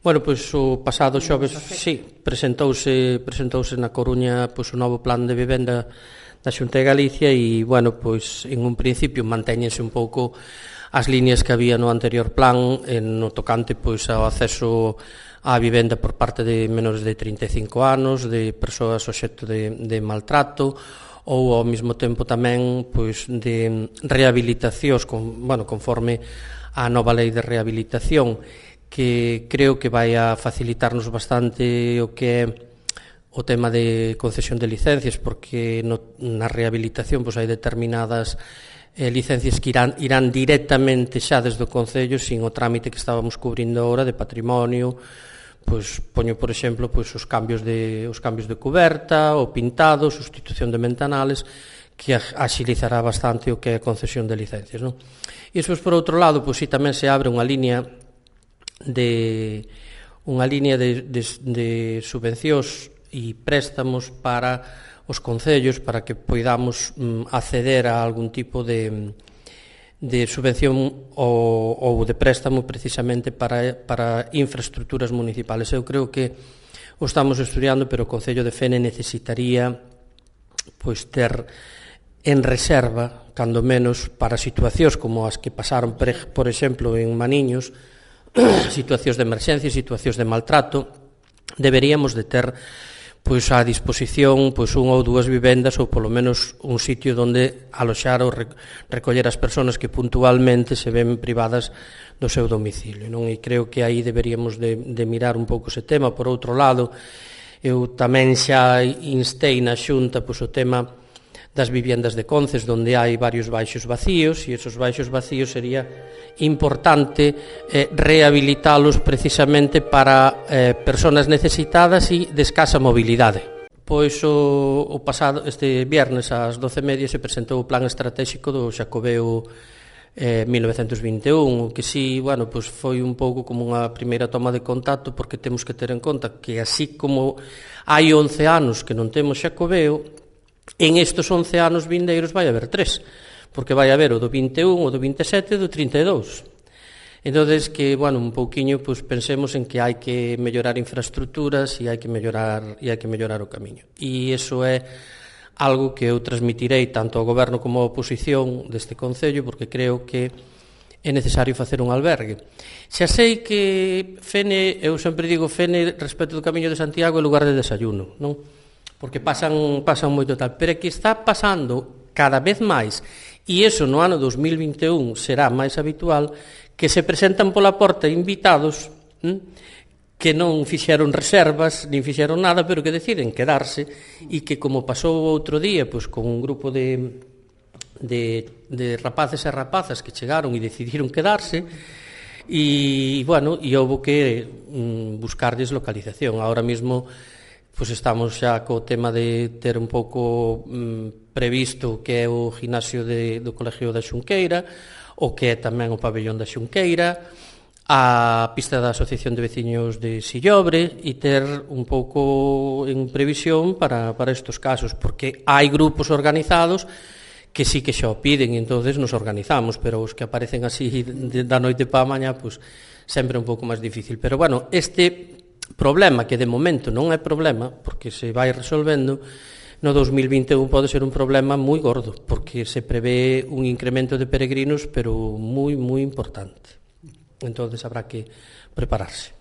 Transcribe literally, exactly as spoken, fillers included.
Bueno, pois o pasado xoves, sí, presentouse presentouse na Coruña pois o novo plan de vivenda da Xunta de Galicia e, bueno, pois en un principio mantéñense un pouco as líneas que había no anterior plan en no tocante pois ao acceso á vivenda por parte de menores de trinta e cinco anos, de persoas obxecto de, de maltrato ou ao mesmo tempo tamén pois de rehabilitacións con, bueno, conforme a nova lei de rehabilitación, que creo que vai a facilitarnos bastante o que é o tema de concesión de licencias, porque no, na rehabilitación pois hai determinadas eh, licencias que irán, irán directamente xa desde o Concello sin o trámite que estábamos cubrindo agora de patrimonio. Pois poño, por exemplo, pois os cambios de os cambios de cuberta, o pintado, sustitución de ventanales, que axilizará bastante o que é a concesión de licencias, non? E despois, por outro lado, pois si tamén se abre unha línea de unha línea de, de, de subvencións e préstamos para os concellos para que poidamos mm, acceder a algún tipo de de subvención ou, ou de préstamo precisamente para, para infraestructuras municipales. Eu creo que o estamos estudiando, pero o Concello de Fene necesitaría pois ter en reserva, cando menos, para situacións como as que pasaron, por exemplo, en Maniños, situacións de emerxencia, situacións de maltrato, deberíamos de ter pois á disposición pois unha ou dúas vivendas ou polo menos un sitio onde aloxar ou recoller as persoas que puntualmente se ven privadas do seu domicilio, non? E creo que aí deberíamos de, de mirar un pouco ese tema. Por outro lado, eu tamén xa instei na Xunta pois o tema das viviendas de Conces, onde hai varios baixos vacíos, e esos baixos vacíos sería importante eh, rehabilitalos precisamente para eh, persoas necesitadas e de escasa mobilidade. Pois o, o pasado, este viernes ás doce e media se presentou o plan estratégico do Xacobeo eh, mil novecentos vinte e un, que si, bueno, pois foi un pouco como unha primeira toma de contacto, porque temos que ter en conta que así como hai once anos que non temos Xacobeo, en estes once anos vindeiros vai haber tres, porque vai haber o do vinte e un, o do vinte e sete e do trinta e dous. Entón, que, bueno, un pouquiño, pois, pensemos en que hai que mellorar infraestructuras e hai que mellorar, e hai que mellorar o camiño. E iso é algo que eu transmitirei tanto ao Goberno como á oposición deste Concello, porque creo que é necesario facer un albergue. Xa sei que Fene, eu sempre digo Fene respecto do Camiño de Santiago é lugar de desayuno, non? Porque pasan, pasan moito tal, pero é que está pasando cada vez máis, e iso no ano dos mil vinte e un será máis habitual, que se presentan pola porta invitados hm, que non fixeron reservas, nin fixeron nada, pero que deciden quedarse, e que, como pasou outro día, pois, con un grupo de, de, de rapaces e rapazas que chegaron e decidiron quedarse, e, bueno, e houve que mm, buscarlles localización. Ahora mesmo pois estamos xa co tema de ter un pouco mm, previsto que é o gimnasio de, do Colegio da Xunqueira, o que é tamén o pabellón da Xunqueira, a pista da Asociación de Veciños de Sillobre, e ter un pouco en previsión para, para estes casos, porque hai grupos organizados que sí que xa o piden, e entonces nos organizamos, pero os que aparecen así de, da noite para a mañá, pois sempre é un pouco máis difícil. Pero, bueno, este problema, que de momento non é problema, porque se vai resolvendo, no dos mil vinte e un pode ser un problema moi gordo, porque se prevé un incremento de peregrinos, pero moi, moi importante. Entón, habrá que prepararse.